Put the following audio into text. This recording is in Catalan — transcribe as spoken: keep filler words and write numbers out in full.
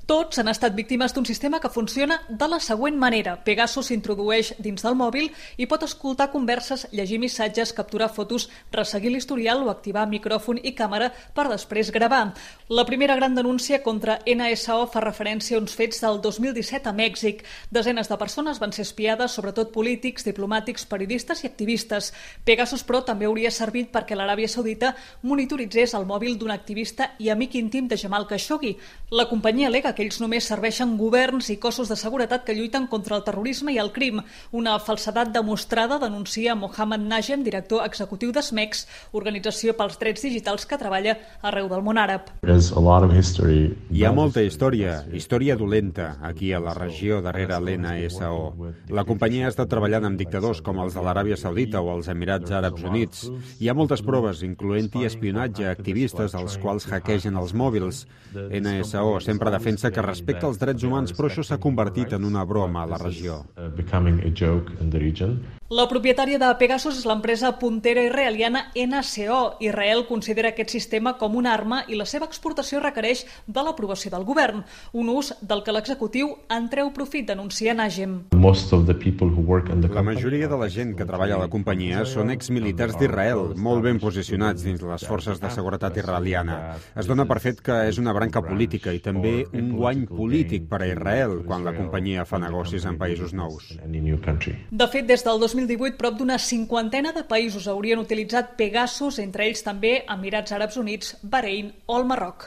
Tots han estat víctimes d'un sistema que funciona de la següent manera. Pegasus s'introdueix dins del mòbil i pot escoltar converses, llegir missatges, capturar fotos, resseguir l'historial o activar micròfon i càmera per després gravar. La primera gran denúncia contra N S O fa referència a uns fets del dos mil disset a Mèxic. Desenes de persones van ser espiades, sobretot polítics, diplomàtics, periodistes i activistes. Pegasus, però, també hauria servit perquè l'Aràbia Saudita monitoritzés el mòbil d'un activista i amic íntim de Jamal Khashoggi. La companyia alega que ells només serveixen governs i cossos de seguretat que lluiten contra el terrorisme i el crim. Una falsedat demostrada, denuncia Mohammed Najem, director executiu d'Smex, organització pels drets digitals que treballa arreu del món àrab. Hi ha molta història, història dolenta, aquí a la regió darrere l'N S O. La companyia ha estat treballant amb dictadors com els de l'Aràbia Saudita o els Emirats Àrabs Units. Hi ha moltes proves, incloent-hi espionatge a activistes als quals hackegen els mòbils. N S O sempre defensa que respecta els drets humans, però això s'ha convertit en una broma a la regió. La propietària de Pegasus és l'empresa puntera israeliana N S O. Israel considera aquest sistema com una arma i la seva exportació requereix de l'aprovació del govern, un ús del que l'executiu en treu profit, denuncia Najem. La majoria de la gent que treballa a la companyia són exmilitars d'Israel, molt ben posicionats dins les forces de seguretat israeliana. Es dona per fet que és una branca política i també un guany polític per a Israel quan la companyia fa negocis en països nous. De fet, des del dos mil divuit, prop d'una cinquantena de països haurien utilitzat Pegasus, entre ells també Emirats Àrabs Units, Bahrein o el Marroc.